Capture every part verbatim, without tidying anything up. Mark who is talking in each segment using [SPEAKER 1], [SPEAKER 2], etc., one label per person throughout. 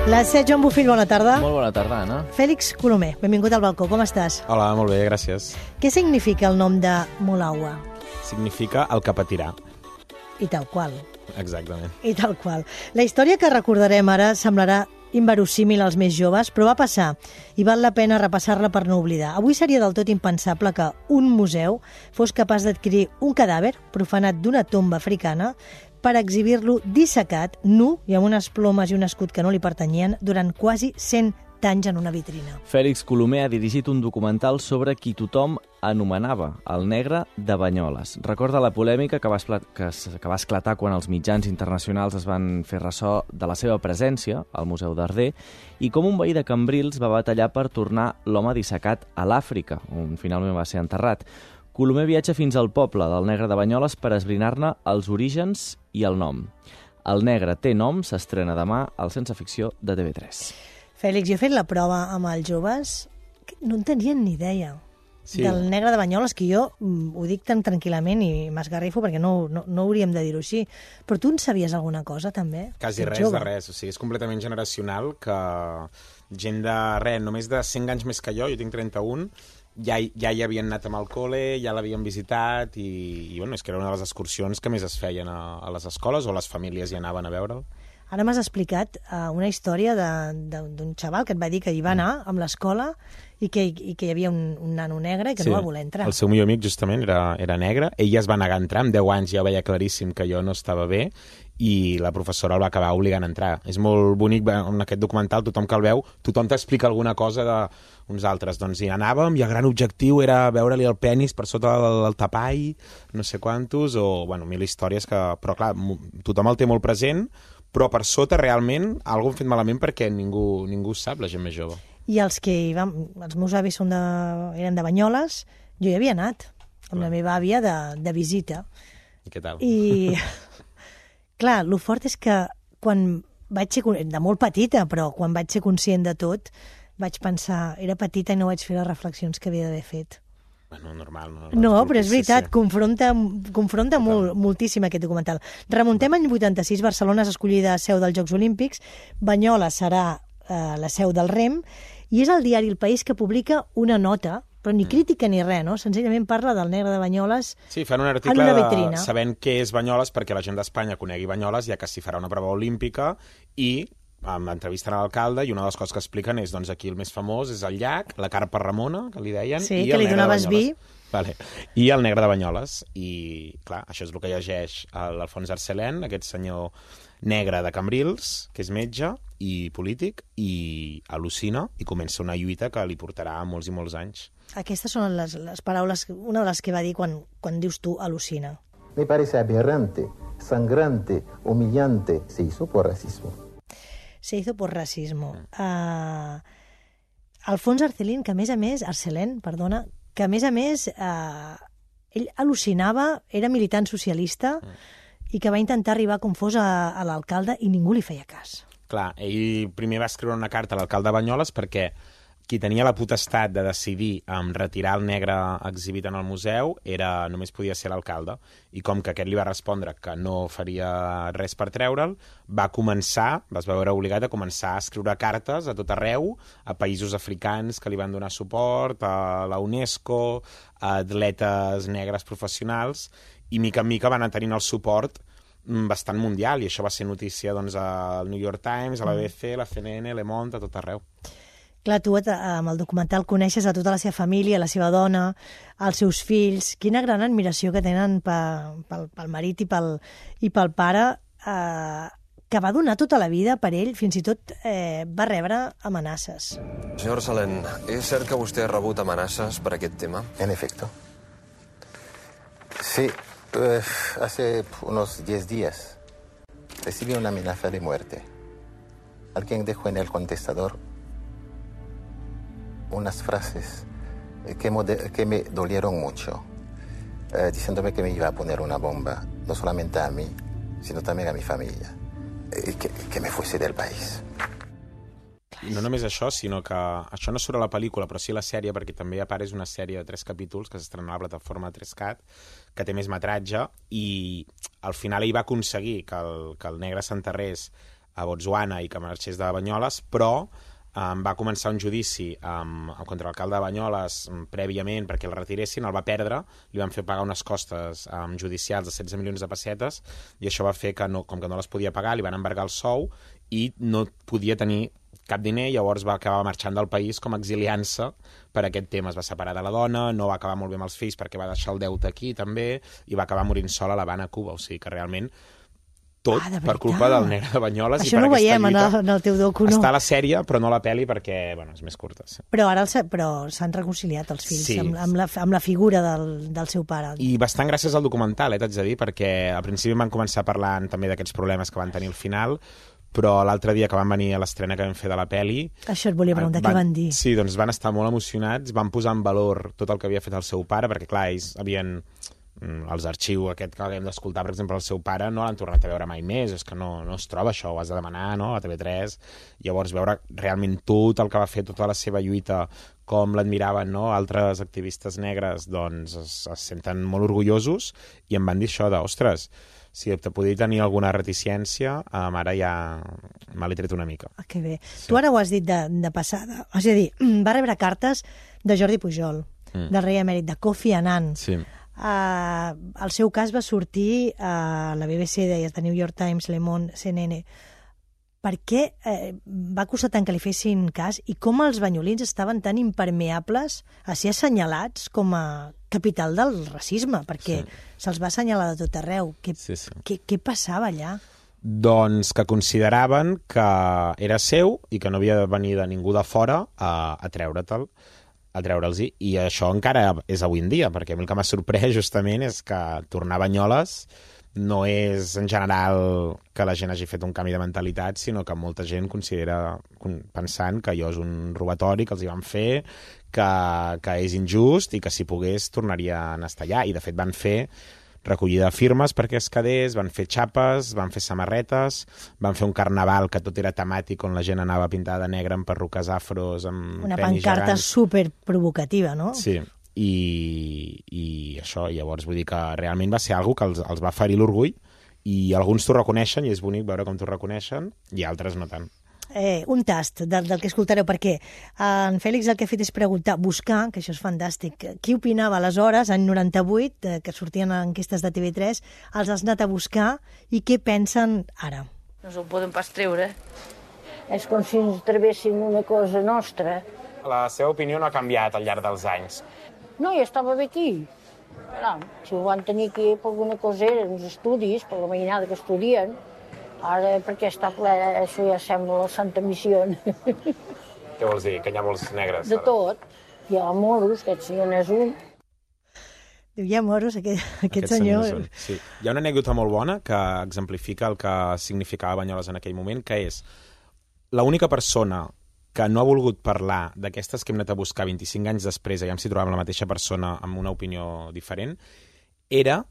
[SPEAKER 1] La set, Joan Bofill, bona tarda.
[SPEAKER 2] Molt bona tarda, Anna.
[SPEAKER 1] Fèlix Colomer, benvingut al balcó, com estàs?
[SPEAKER 3] Hola, molt bé, gràcies.
[SPEAKER 1] Què significa el nom de Molaua?
[SPEAKER 3] Significa el que patirà.
[SPEAKER 1] I tal qual.
[SPEAKER 3] Exactament.
[SPEAKER 1] I tal qual. La història que recordarem ara semblarà inverosímil als més joves, però va passar i val la pena repassar-la per no oblidar. Avui seria del tot impensable que un museu fos capaç d'adquirir un cadàver profanat d'una tomba africana per exhibir-lo dissecat, nu i amb unes plomes i un escut que no li pertanyien durant quasi cent anys en una vitrina.
[SPEAKER 2] Fèlix Colomer ha dirigit un documental sobre qui tothom anomenava el negre de Banyoles. Recorda la polèmica que va, que, que va esclatar quan els mitjans internacionals es van fer ressò de la seva presència al Museu d'Arder i com un veí de Cambrils va batallar per tornar l'home dissecat a l'Àfrica, on finalment va ser enterrat. Colomer viatja fins al poble del negre de Banyoles per esbrinar-ne els orígens i el nom. El negre té nom s'estrena demà al Sense Ficció de T V tres.
[SPEAKER 1] Fèlix, jo he fet la prova amb els joves, que no en tenien ni idea sí. del negre de Banyoles, que jo mm, ho dic tan tranquil·lament i m'esgarrifo perquè no, no, no hauríem de dir-ho així. Però tu en sabies alguna cosa, també?
[SPEAKER 3] Quasi res jove. de res, o sigui, és completament generacional que gent de res, només de cent anys més que jo, jo tinc trenta-un, ja, ja hi havien anat amb el col·le, ja l'havien visitat i, i bueno, és que era una de les excursions que més es feien a, a les escoles o les famílies hi anaven a veure'l.
[SPEAKER 1] Ara m'has explicat uh, una història d'un xaval que et va dir que hi va anar amb l'escola i que, i que hi havia un, un nano negre i que sí, no va voler entrar.
[SPEAKER 3] El seu millor amic justament era, era negre. Ell ja es va negar a entrar, amb deu anys ja veia claríssim que jo no estava bé i la professora el va acabar obligant a entrar. És molt bonic, en aquest documental tothom que el veu, tothom t'explica alguna cosa d'uns altres. Doncs hi anàvem i el gran objectiu era veure-li el penis per sota del, del tapall, no sé quantos, o bueno, mil històries que... Però clar, tothom el té molt present, però per sota realment algú hem fet malament perquè ningú, ningú sap, la gent més jove.
[SPEAKER 1] I els que hi van, els meus avis són de, eren de Banyoles, jo hi havia anat amb la meva àvia de, de visita.
[SPEAKER 3] I què tal?
[SPEAKER 1] I clar, el fort és que quan vaig ser, de molt petita, però quan vaig ser conscient de tot, vaig pensar, era petita i no vaig fer les reflexions que havia d'haver fet.
[SPEAKER 3] Bueno, normal. No,
[SPEAKER 1] no però és veritat, sí, sí. confronta, confronta molt, moltíssim aquest documental. Remuntem any vuitanta-sis, Barcelona és escollida seu dels Jocs Olímpics, Banyoles serà eh, la seu del rem, i és el diari El País que publica una nota, però ni crítica ni res, no? Senzillament parla del negre de Banyoles en una vitrina.
[SPEAKER 3] Sí, fan un article de, sabent què és Banyoles perquè la gent d'Espanya conegui Banyoles, ja que s'hi farà una prova olímpica, i amb entrevisten a l'alcalde, i una de les coses que expliquen és, doncs, aquí el més famós és el llac, la carpa Ramona, que li deien,
[SPEAKER 1] sí,
[SPEAKER 3] i
[SPEAKER 1] que
[SPEAKER 3] el
[SPEAKER 1] li
[SPEAKER 3] negre de
[SPEAKER 1] donaves
[SPEAKER 3] Banyoles.
[SPEAKER 1] Vi.
[SPEAKER 3] Vale. I el negre de Banyoles. I, clar, això és el que llegeix l'Alfons Arcelén, aquest senyor negre de Cambrils, que és metge i polític, i al·lucina, i comença una lluita que li portarà molts i molts anys.
[SPEAKER 1] Aquestes són les, les paraules, una de les que va dir quan, quan dius tu al·lucina.
[SPEAKER 4] Me parece aberrante, sangrante, humillante. Se hizo por racismo.
[SPEAKER 1] Se hizo por racismo. Uh, Alfons Arcelén, que a més a més, Arcelén, perdona, que a més a més uh, ell al·lucinava, era militant socialista mm. i que va intentar arribar com fos a, a l'alcalde i ningú li feia cas.
[SPEAKER 3] Clar, ell primer va escriure una carta a l'alcalde de Banyoles perquè qui tenia la potestat de decidir um, retirar el negre exhibit en el museu era, només podia ser l'alcalde. I com que aquest li va respondre que no faria res per treure'l, va començar, es va veure obligat a començar a escriure cartes a tot arreu, a països africans que li van donar suport, a la UNESCO, a atletes negres professionals, i mica en mica van anar tenint el suport bastant mundial, i això va ser notícia doncs, al New York Times, a la B B C, la C N N, Le Monde, a tot arreu.
[SPEAKER 1] Clar, tu amb el documental coneixes a tota la seva família, la seva dona, els seus fills. Quina gran admiració que tenen pel, pel, pel marit i pel, i pel pare, eh, que va donar tota la vida per ell, fins i tot eh, va rebre amenaces.
[SPEAKER 5] Senyor Arcelén, és cert que vostè ha rebut amenaces per aquest tema?
[SPEAKER 4] En efecto. Sí, eh, hace unos diez días recibí una amenaza de muerte. Alguien dejó en el contestador unas frases que, que me dolieron mucho, eh, diciéndome que me iba a poner una bomba, no solamente a mí, sino también a mi familia, eh, que, que me fuese del país.
[SPEAKER 3] I no només això, sinó que això no surt a la pel·lícula, però sí a la sèrie, perquè també a part és una sèrie de tres capítols que s'estrena a la plataforma tres cat, que té més metratge, i al final ell va aconseguir que el, que el negre s'enterrés a Botswana i que marxés de Banyoles, però um, va començar un judici um, contra l'alcalde de Banyoles um, prèviament perquè el retiressin, el va perdre, li van fer pagar unes costes um, judicials de setze milions de pessetes i això va fer que, no, com que no les podia pagar, li van embargar el sou i no podia tenir cap diner, llavors va acabar marxant del país com exiliant-se per aquest tema. Es va separar de la dona, no va acabar molt bé amb els fills perquè va deixar el deute aquí també i va acabar morint sola a l'Havana, Cuba. O sigui que realment tot
[SPEAKER 1] ah, de
[SPEAKER 3] per culpa del negre de Banyoles.
[SPEAKER 1] Això
[SPEAKER 3] i per
[SPEAKER 1] no ho veiem
[SPEAKER 3] lluita.
[SPEAKER 1] en el, en el teu docu, no?
[SPEAKER 3] Està a la sèrie, però no a la pel·li perquè bueno, és més curta. Sí.
[SPEAKER 1] Però ara el, però s'han reconciliat els fills
[SPEAKER 3] sí.
[SPEAKER 1] amb, amb, la, amb la figura del, del seu pare.
[SPEAKER 3] I bastant gràcies al documental, eh, t'haig de dir, perquè al principi van començar parlant també d'aquests problemes que van tenir al final, però l'altre dia que van venir a l'estrena que vam fer de la peli...
[SPEAKER 1] Això et volia preguntar, van, què van dir?
[SPEAKER 3] Sí, doncs van estar molt emocionats, van posar en valor tot el que havia fet el seu pare, perquè clar, ells havien... els arxius aquest que havíem d'escoltar, per exemple, el seu pare no l'han tornat a veure mai més, és que no, no es troba això, ho has de demanar, no?, a T V tres. Llavors veure realment tot el que va fer, tota la seva lluita, com l'admiraven, no?, altres activistes negres, doncs es, es senten molt orgullosos i em van dir això de, ostres, si te podia tenir alguna reticència, um, ara ja me l'he tret una mica.
[SPEAKER 1] Ah, que bé. Sí. Tu ara ho has dit de, de passada. És a dir, va rebre cartes de Jordi Pujol, mm. del rei emèrit, de Kofi Annan.
[SPEAKER 3] Sí.
[SPEAKER 1] Uh, el seu cas va sortir a la B B C, deies, The New York Times, Le Monde, C N N. Per què eh, va costar tant que li fessin cas i com els banyolins estaven tan impermeables a ser assenyalats com a capital del racisme? Perquè sí. se'ls va assenyalar de tot arreu. Què,
[SPEAKER 3] sí, sí.
[SPEAKER 1] què, què passava allà?
[SPEAKER 3] Doncs que consideraven que era seu i que no havia de venir de ningú de fora a, a treure'l. a treure'ls-hi, i això encara és avui en dia, perquè a mi el que m'ha sorprès justament és que tornar a Banyoles no és en general que la gent hagi fet un canvi de mentalitat, sinó que molta gent considera, pensant que allò és un robatori que els hi van fer, que, que és injust i que si pogués tornarien a estar allà, i de fet van fer recollida de firmes perquè es quedés, van fer xapes, van fer samarretes, van fer un carnaval que tot era temàtic on la gent anava pintada de negre amb perruques afros, amb
[SPEAKER 1] una
[SPEAKER 3] penis
[SPEAKER 1] pancarta
[SPEAKER 3] gegants.
[SPEAKER 1] super provocativa, no?
[SPEAKER 3] Sí, i, i això, llavors vull dir que realment va ser algo que els, els va ferir l'orgull i alguns t'ho reconeixen i és bonic veure com t'ho reconeixen i altres no tant.
[SPEAKER 1] Eh, un tast del, del que escoltareu, perquè en Fèlix el que ha fet és preguntar, buscar, que això és fantàstic, qui opinava aleshores, any noranta-vuit, eh, que sortien enquestes de T V tres, els has anat a buscar i què pensen ara?
[SPEAKER 6] No se'l poden pas treure.
[SPEAKER 7] És com si ens trevessin una cosa nostra.
[SPEAKER 3] La seva opinió no ha canviat al llarg dels anys.
[SPEAKER 7] No, ja estava bé aquí. Clar, si ho van tenir aquí per alguna cosa eren els estudis, per la mainada que estudien. Ara, perquè està ple, això ja sembla la Santa Missió.
[SPEAKER 3] Què vols dir? Que hi ha molts negres?
[SPEAKER 7] De tot. Hi ha moros, aquest senyor n'és un.
[SPEAKER 1] Diu, hi ha moros, aquest, aquest, aquest
[SPEAKER 3] senyor.
[SPEAKER 1] senyor.
[SPEAKER 3] Sí. Hi ha una anècdota molt bona que exemplifica el que significava Banyoles en aquell moment, que és l'única persona que no ha volgut parlar d'aquestes que hem anat a buscar vint-i-cinc anys després, aviam si trobàvem la mateixa persona amb una opinió diferent, era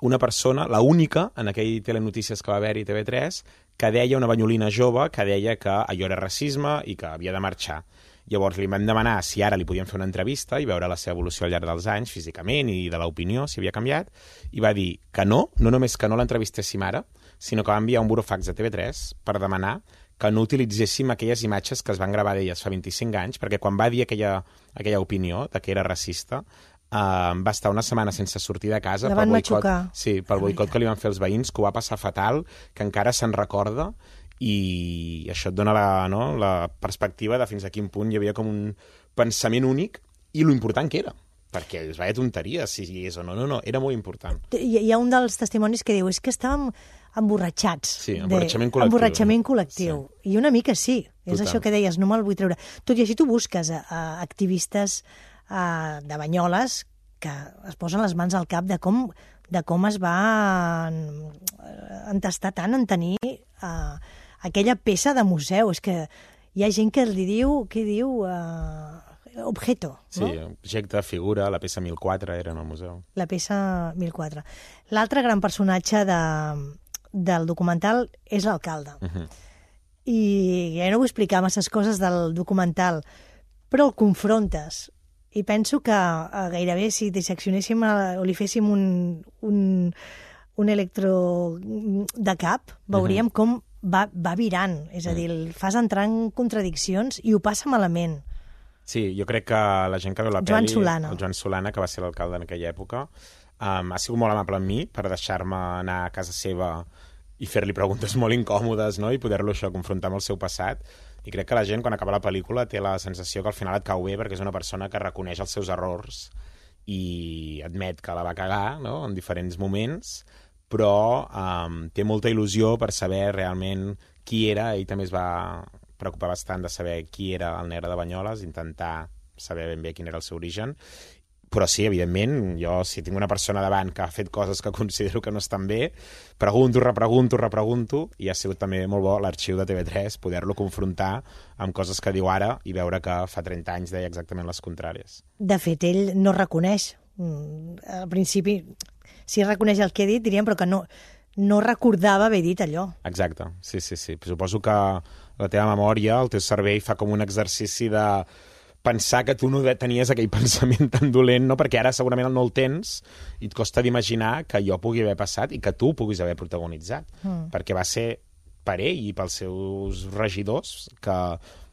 [SPEAKER 3] una persona, la única, en aquell telenotícies que va haver-hi T V tres, que deia, una banyolina jove, que deia que allò era racisme i que havia de marxar. Llavors li vam demanar si ara li podíem fer una entrevista i veure la seva evolució al llarg dels anys, físicament i de l'opinió, si havia canviat, i va dir que no, no només que no l'entrevistéssim ara, sinó que va enviar un burofax a T V tres per demanar que no utilitzéssim aquelles imatges que es van gravar d'elles fa vint-i-cinc anys, perquè quan va dir aquella, aquella opinió de que era racista, Uh, va estar una setmana sense sortir de casa
[SPEAKER 1] la
[SPEAKER 3] pel
[SPEAKER 1] van
[SPEAKER 3] boicot,
[SPEAKER 1] matxucar.
[SPEAKER 3] sí, pel boicot que li van fer els veïns, que ho va passar fatal, que encara se'n recorda, i això et dona la, no, la perspectiva de fins a quin punt hi havia com un pensament únic i lo important que era, perquè es veia tonteria si és o no, no, no, era molt important.
[SPEAKER 1] Hi, hi ha un dels testimonis que diu és que estàvem emborratxats.
[SPEAKER 3] Sí, emborratxament
[SPEAKER 1] de,
[SPEAKER 3] col·lectiu.
[SPEAKER 1] Emborratxament col·lectiu. Sí. I una mica sí, és
[SPEAKER 3] Total.
[SPEAKER 1] Això que deies, no me'l vull treure. Tot i així tu busques a, a activistes a, de Banyoles que es posen les mans al cap de com, de com es va entestar tant en tenir uh, aquella peça de museu. És que hi ha gent que li diu, què diu, uh, objeto.
[SPEAKER 3] Sí,
[SPEAKER 1] no?
[SPEAKER 3] objecte, figura, la peça mil quatre era en el museu.
[SPEAKER 1] La peça mil quatre. L'altre gran personatge de, del documental és l'alcalde. Uh -huh. I ja no vull explicar masses coses del documental, però el confrontes. I penso que eh, gairebé si disseccionéssim eh, o li féssim un, un, un electro de cap, veuríem uh -huh. com va, va virant, és a dir, el fas entrar en contradiccions i ho passa malament.
[SPEAKER 3] Sí, jo crec que la gent que veu la
[SPEAKER 1] Joan
[SPEAKER 3] pel·li...
[SPEAKER 1] Solana.
[SPEAKER 3] El Joan Solana, que va ser l'alcalde en aquella època, um, ha sigut molt amable amb mi per deixar-me anar a casa seva i fer-li preguntes molt incòmodes, no? I poder-lo això confrontar amb el seu passat. I crec que la gent, quan acaba la pel·lícula, té la sensació que al final et cau bé perquè és una persona que reconeix els seus errors i admet que la va cagar, no?, en diferents moments, però um, té molta il·lusió per saber realment qui era. Ell també es va preocupar bastant de saber qui era el negre de Banyoles, intentar saber ben bé quin era el seu origen. Però sí, evidentment, jo si tinc una persona davant que ha fet coses que considero que no estan bé, pregunto, repregunto, repregunto, i ha sigut també molt bo l'arxiu de T V tres poder-lo confrontar amb coses que diu ara i veure que fa trenta anys deia exactament les contràries.
[SPEAKER 1] De fet, ell no reconeix. Al principi, sí reconeix el que he dit, diríem, però que no, no recordava haver dit allò.
[SPEAKER 3] Exacte, sí, sí, sí. Suposo que la teva memòria, el teu cervell, fa com un exercici de pensar que tu no tenies aquell pensament tan dolent, no? Perquè ara segurament no el tens i et costa d'imaginar que jo pugui haver passat i que tu puguis haver protagonitzat. Mm. Perquè va ser per ell i pels seus regidors que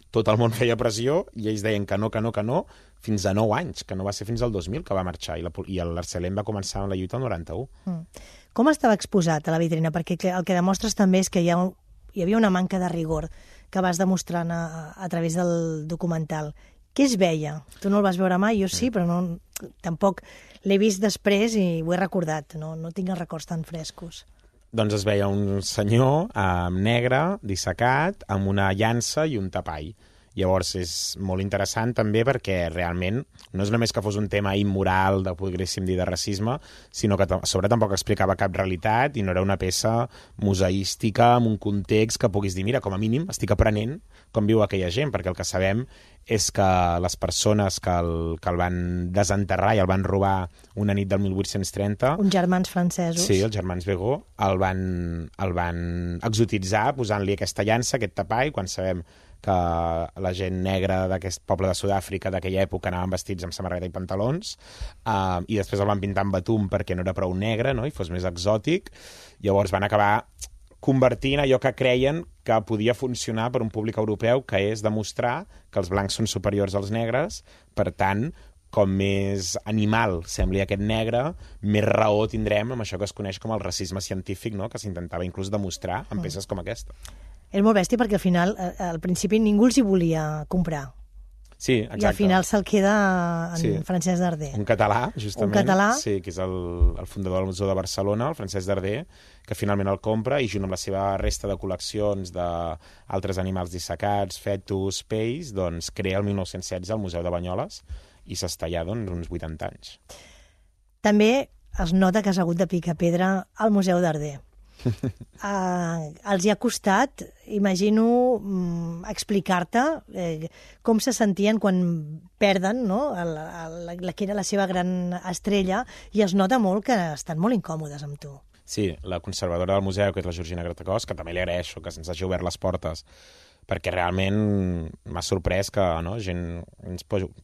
[SPEAKER 3] tot el món feia pressió i ells deien que no, que no, que no, fins a nou anys, que no va ser fins al dos mil que va marxar i, la, i l'Arcelem va començar amb la lluita al noranta-u.
[SPEAKER 1] Mm. Com estava exposat a la vitrina? Perquè el que demostres també és que hi, ha, hi havia una manca de rigor que vas demostrant a, a través del documental. Què es veia? Tu no el vas veure mai, jo sí, però no, tampoc l'he vist després i ho he recordat, no, no tinc els records tan frescos.
[SPEAKER 3] Doncs es veia un senyor eh, negre, dissecat, amb una llança i un tapall. Llavors és molt interessant també perquè realment no és només que fos un tema immoral, de, podríem dir, de racisme, sinó que a sobre tampoc explicava cap realitat i no era una peça museística amb un context que puguis dir, mira, com a mínim estic aprenent com viu aquella gent, perquè el que sabem és que les persones que el, que el van desenterrar i el van robar una nit del mil vuit-cents trenta...
[SPEAKER 1] Uns germans francesos.
[SPEAKER 3] Sí, els germans Begó, el van, el van exotitzar posant-li aquesta llança, aquest tapall, quan sabem que la gent negra d'aquest poble de Sud-àfrica d'aquella època anaven vestits amb samarreta i pantalons, uh, i després el van pintar amb betum perquè no era prou negre, no?, i fos més exòtic. Llavors van acabar convertint allò que creien que podia funcionar per un públic europeu, que és demostrar que els blancs són superiors als negres, per tant, com més animal sembli aquest negre, més raó tindrem amb això que es coneix com el racisme científic, no?, que s'intentava inclús demostrar en peces com aquesta.
[SPEAKER 1] És molt bèstia perquè al final, al principi, ningú els hi volia comprar.
[SPEAKER 3] Sí, exacte.
[SPEAKER 1] I al final se'l queda en
[SPEAKER 3] sí.
[SPEAKER 1] Francesc Darder.
[SPEAKER 3] Un català, justament.
[SPEAKER 1] Un català.
[SPEAKER 3] Sí, que és el, el fundador del Museu de Barcelona, el Francesc Darder, que finalment el compra i junt amb la seva resta de col·leccions d'altres animals dissecats, fetus, pells, doncs crea el mil nou-cents setze el Museu de Banyoles i s'està allà doncs, uns vuitanta anys.
[SPEAKER 1] També es nota que has hagut de picar pedra al Museu Darder. Uh, els hi ha costat, imagino, um, explicar-te eh, com se sentien quan perden, no?, el, el, la que era la seva gran estrella, i es nota molt que estan molt incòmodes amb tu.
[SPEAKER 3] Sí, la conservadora del museu, que és la Georgina Gratacós, que també li agraeixo que se'ns hagi obert les portes, perquè realment m'ha sorprès que, no, gent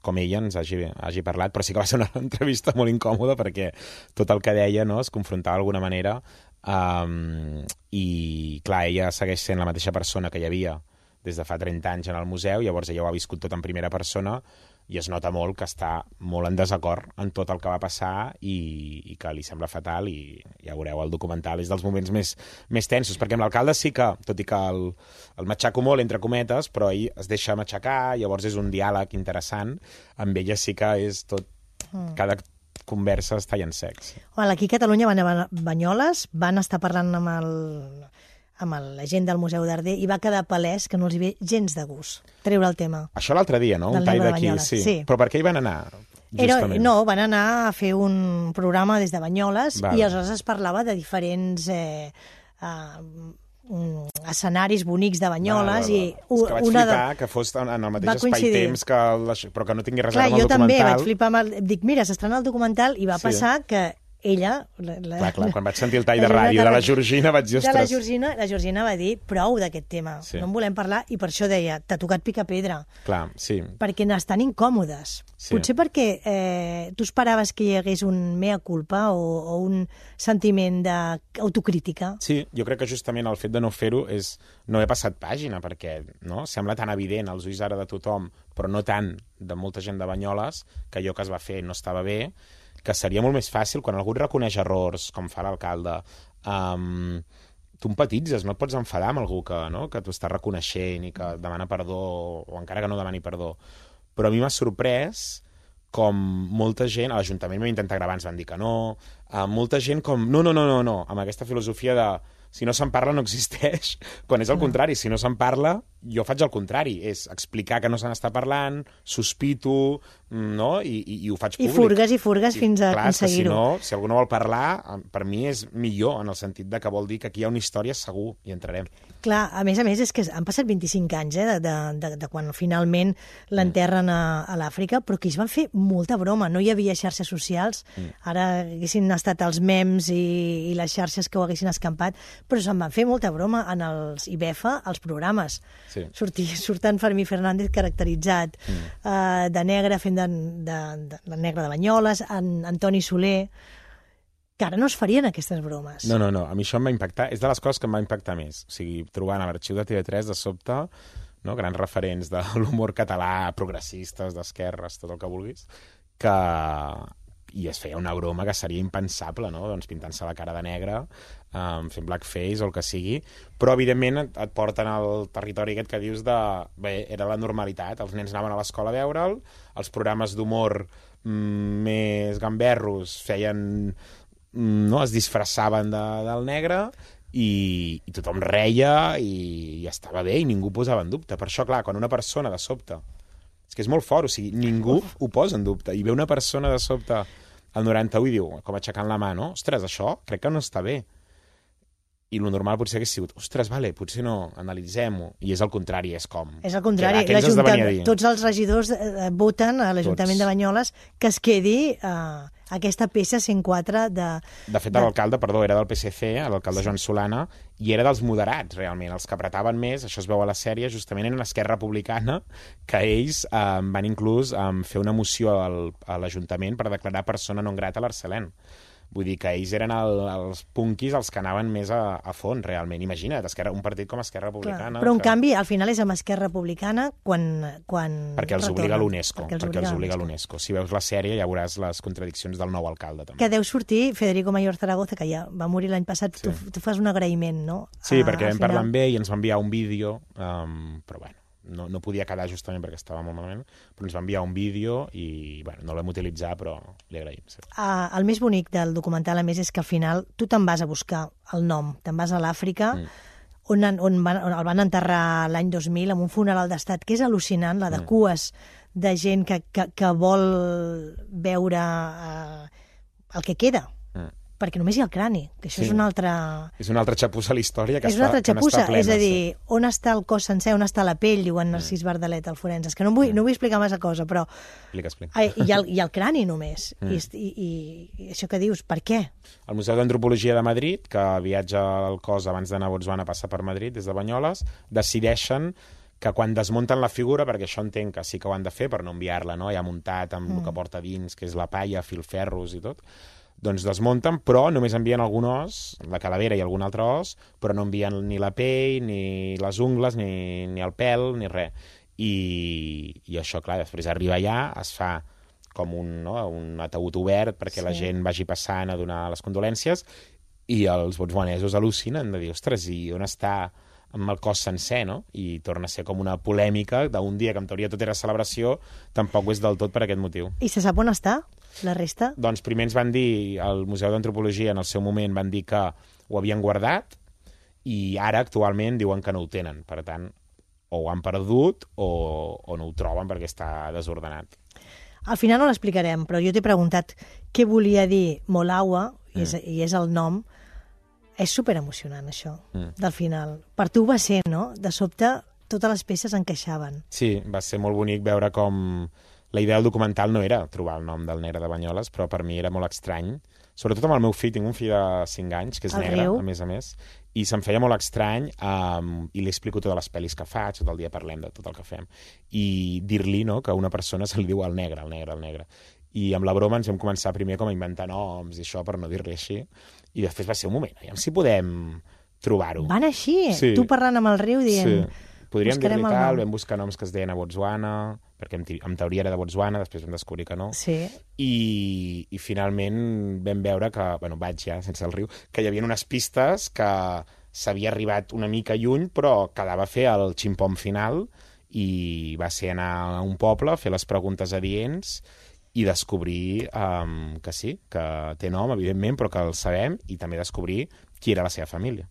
[SPEAKER 3] com ella ens hagi, hagi parlat, però sí que va ser una entrevista molt incòmoda perquè tot el que deia, no, es confrontava d'alguna manera. Um, i clar, ella segueix sent la mateixa persona que hi havia des de fa trenta anys en el museu, llavors ella ho ha viscut tot en primera persona i es nota molt que està molt en desacord en tot el que va passar i, i que li sembla fatal, i ja veureu, el documental és dels moments més, més tensos, perquè amb l'alcalde sí que, tot i que el, el matxaco molt, entre cometes, però ell es deixa matxacar, llavors és un diàleg interessant, amb ella sí que és tot, mm. cada conversa està en sex.
[SPEAKER 1] Well, aquí a Catalunya van a Banyoles, van estar parlant amb, el, amb el, la gent del Museu Darder i va quedar palès que no els hi ve gens de gust treure el tema.
[SPEAKER 3] Això l'altre dia, no? Un tall d'aquí, sí. sí. Però per què hi van anar?
[SPEAKER 1] Era, no, van anar a fer un programa des de Banyoles Val. I aleshores es parlava de diferents eh, uh, escenaris bonics de Banyoles. Val, val, val. I
[SPEAKER 3] és que vaig
[SPEAKER 1] una
[SPEAKER 3] flipar
[SPEAKER 1] de...
[SPEAKER 3] que fos en el mateix espai-temps, que la... però que no tingui res a
[SPEAKER 1] veure
[SPEAKER 3] amb el
[SPEAKER 1] documental. Clar, jo també vaig
[SPEAKER 3] documental.
[SPEAKER 1] flipar amb el... Dic, mira, s'estrena el documental i va
[SPEAKER 3] Sí.
[SPEAKER 1] passar que ella... La, la,
[SPEAKER 3] clar, clar, quan vaig sentir el tall de ràdio de la Georgina vaig dir,
[SPEAKER 1] ostres... De la Georgina, la Georgina va dir prou d'aquest tema, sí. no en volem parlar, i per això deia, t'ha tocat picar pedra.
[SPEAKER 3] Clar, sí.
[SPEAKER 1] Perquè n'estan incòmodes. Sí. Potser perquè eh, tu esperaves que hi hagués un mea culpa o, o un sentiment d'autocrítica.
[SPEAKER 3] Sí, jo crec que justament el fet de no fer-ho és no haver passat pàgina, perquè no? Sembla tan evident als ulls ara de tothom, però no tant de molta gent de Banyoles, que allò que es va fer no estava bé, que seria molt més fàcil, quan algú et reconeix errors, com fa l'alcalde, um, tu empatitzes, no et pots enfadar amb algú que, no? que t'ho està reconeixent i que demana perdó, o encara que no demani perdó. Però a mi m'ha sorprès com molta gent, a l'Ajuntament m'ha intentat gravar, ens van dir que no, uh, molta gent com, no, no, no, no, no, amb aquesta filosofia de si no se'n parla no existeix, quan és el contrari, si no se'n parla, jo faig el contrari, és explicar que no se n'està parlant, sospito, no? I, i, i ho faig públic.
[SPEAKER 1] I furgues i furgues I, fins a
[SPEAKER 3] clar,
[SPEAKER 1] aconseguir-ho.
[SPEAKER 3] Si no, si algú no vol parlar, per mi és millor, en el sentit de que vol dir que aquí hi ha una història segur, i entrarem.
[SPEAKER 1] Clar, a més a més, és que han passat vint-i-cinc anys eh, de, de, de quan finalment l'enterren a, a l'Àfrica, però que es van fer molta broma, no hi havia xarxes socials, mm. ara haguessin estat els mems i, i les xarxes que ho haguessin escampat, però se'n van fer molta broma en els I B E F A, els programes. Sí. Sortir, surtant Fermí Fernández caracteritzat mm. uh, de negre, fent de, de, de, de negre de Banyoles, en Antoni Soler, que ara no es farien aquestes bromes.
[SPEAKER 3] No, no, no, a mi això em va impactar, és de les coses que em va impactar més. O sigui, trobant a l'arxiu de T V tres de sobte, no, grans referents de l'humor català, progressistes, d'esquerres, tot el que vulguis, que... i es feia una broma que seria impensable, no? Doncs pintant-se la cara de negre, um, fent blackface o el que sigui, però evidentment et, et porten al territori aquest que dius de... Bé, era la normalitat, els nens anaven a l'escola a veure'l, els programes d'humor mm, més gamberros feien... Mm, no? Es disfressaven de, del negre i, i tothom reia i, i estava bé i ningú posava en dubte. Per això, clar, quan una persona de sobte... És que és molt fort, o sigui, ningú Uf. ho posa en dubte. I ve una persona de sobte al noranta-u i diu, com aixecant la mà, no? Ostres, això crec que no està bé. I lo normal potser hagués sigut, ostres, vale, potser no, analitzem-ho. I és el contrari, és com...
[SPEAKER 1] És el contrari, tots els regidors eh, voten a l'Ajuntament de Banyoles que es quedi eh, aquesta peça cent quatre de...
[SPEAKER 3] De fet, de... l'alcalde, perdó, era del P S C, l'alcalde Joan Solana, i era dels moderats, realment. Els que apretaven més, això es veu a la sèrie, justament eren Esquerra Republicana, que ells eh, van inclús eh, fer una moció al, a l'Ajuntament per declarar persona non grata a l'Arcelén. Vull dir que ells eren el, els punquis els que anaven més a, a fons, realment. Imagina't, Esquerra, un partit com Esquerra Republicana...
[SPEAKER 1] Clar, però, en
[SPEAKER 3] que...
[SPEAKER 1] canvi, al final és amb Esquerra Republicana quan... quan
[SPEAKER 3] perquè els
[SPEAKER 1] retornen.
[SPEAKER 3] obliga l'UNESCO.
[SPEAKER 1] Perquè els
[SPEAKER 3] perquè
[SPEAKER 1] obliga,
[SPEAKER 3] els obliga l'UNESCO. Si veus la sèrie ja veuràs les contradiccions del nou alcalde. També.
[SPEAKER 1] Que deu sortir Federico Mayor Zaragoza, que ja va morir l'any passat. Sí. Tu, tu fas un agraïment, no?
[SPEAKER 3] Sí, a, perquè vam parlar amb ell i ens va enviar un vídeo, um, però bueno, no, no podia quedar justament perquè estava molt malament, però ens va enviar un vídeo i bueno, no l'hem utilitzat, però li agraïm. Sí.
[SPEAKER 1] Uh, el més bonic del documental, a més, és que al final tu te'n vas a buscar el nom, te'n vas a l'Àfrica, mm. on, on, van, on el van enterrar l'any dos mil amb un funeral d'estat, que és al·lucinant, la de mm. cues de gent que, que, que vol veure uh, el que queda. Mm. Perquè només hi ha el crani, que això sí. és una altra...
[SPEAKER 3] És una altra xapussa a la història que,
[SPEAKER 1] és una altra
[SPEAKER 3] està,
[SPEAKER 1] xapussa,
[SPEAKER 3] que n'està plena.
[SPEAKER 1] És a dir,
[SPEAKER 3] sí.
[SPEAKER 1] on està el cos sencer, on està la pell, diuen Narcís mm. Bardalet, el forense. És que no vull, mm. no vull explicar massa cosa, però...
[SPEAKER 3] Explica, explica.
[SPEAKER 1] Ai, hi, ha, hi ha el crani només. Mm. I, i, I això que dius, per què?
[SPEAKER 3] El Museu d'Antropologia de Madrid, que viatja al cos abans d'anar a Botswana a passar per Madrid, des de Banyoles, decideixen que quan desmunten la figura, perquè això entenc que sí que ho han de fer per no enviar-la, no? Ja muntat amb mm. el que porta dins, que és la palla, filferros i tot, doncs desmunten, però només envien algun os, la calavera i algun altre os, però no envien ni la pell, ni les ungles, ni, ni el pèl, ni res. I, i això, clar, després arriba allà, es fa com un, no, un ataúd obert perquè sí. la gent vagi passant a donar les condolències i els botswanesos al·lucinen de dir, ostres, i on està amb el cos sencer, no? I torna a ser com una polèmica d'un dia que en teoria tot era celebració, tampoc ho és del tot per aquest motiu.
[SPEAKER 1] I se sap on està? La resta?
[SPEAKER 3] Doncs primer ens van dir, al Museu d'Antropologia en el seu moment van dir que ho havien guardat i ara actualment diuen que no ho tenen. Per tant, o ho han perdut o, o no ho troben perquè està desordenat.
[SPEAKER 1] Al final no l'explicarem, però jo t'he preguntat què volia dir Molawa, i és, mm. i és el nom. És superemocionant, això, mm. del final. Per tu va ser, no? De sobte, totes les peces encaixaven.
[SPEAKER 3] Sí, va ser molt bonic veure com... La idea del documental no era trobar el nom del negre de Banyoles, però per mi era molt estrany sobretot amb el meu fill, tinc un fill de cinc anys, que és
[SPEAKER 1] El
[SPEAKER 3] negre,
[SPEAKER 1] Riu.
[SPEAKER 3] a més a més, i se'm feia molt estrany, um, i li explico totes les pel·lis que faig, tot el dia parlem de tot el que fem, i dir-li, no?, que a una persona se li diu el negre, el negre, el negre. I amb la broma ens vam començar primer com a inventar noms i això, per no dir-li així, i després va ser un moment, aviam si podem trobar-ho.
[SPEAKER 1] Van així,
[SPEAKER 3] Sí.
[SPEAKER 1] tu parlant amb el Riu dient...
[SPEAKER 3] Sí. Podríem
[SPEAKER 1] buscarem
[SPEAKER 3] dir-li
[SPEAKER 1] el
[SPEAKER 3] tal,
[SPEAKER 1] nom.
[SPEAKER 3] vam buscar noms que es deien a Botswana, perquè en, te- en teoria era de Botswana, després vam descobrir que no.
[SPEAKER 1] Sí.
[SPEAKER 3] I, i finalment vam veure que, bueno, vaig ja, sense el Riu, que hi havia unes pistes que s'havia arribat una mica lluny, però quedava fer el ximpom final, i va ser anar a un poble, fer les preguntes adients i descobrir um, que sí, que té nom, evidentment, però que el sabem, i també descobrir qui era la seva família.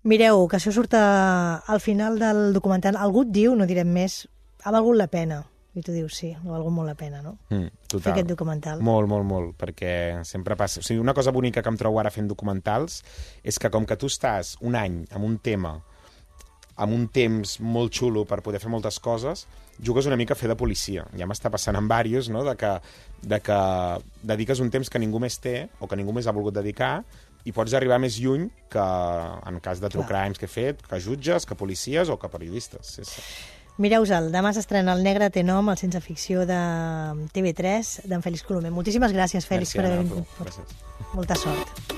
[SPEAKER 1] Mireu, que això surt a, al final del documental. Algú et diu, no direm més, ha valgut la pena. I tu dius, sí, ha valgut molt la pena, no?
[SPEAKER 3] Mm, total.
[SPEAKER 1] Fer aquest documental.
[SPEAKER 3] Molt, molt, molt, perquè sempre passa... O sigui, una cosa bonica que em trobo ara fent documentals és que com que tu estàs un any amb un tema, amb un temps molt xulo per poder fer moltes coses, jugues una mica a fer de policia. Ja m'està passant amb diversos, no?, de que, de que dediques un temps que ningú més té o que ningú més ha volgut dedicar i pots arribar més lluny que en cas de true crimes que he fet, que jutges, que policies o que periodistes. Sí, sí.
[SPEAKER 1] Mireu-se'l, demà s'estrena El negre té nom, el Sense ficció de T V tres, d'en Fèlix Colomer. Moltíssimes gràcies, Fèlix,
[SPEAKER 3] Merci,
[SPEAKER 1] per haver
[SPEAKER 3] Anna,
[SPEAKER 1] vingut.
[SPEAKER 3] Gràcies.
[SPEAKER 1] Molta sort.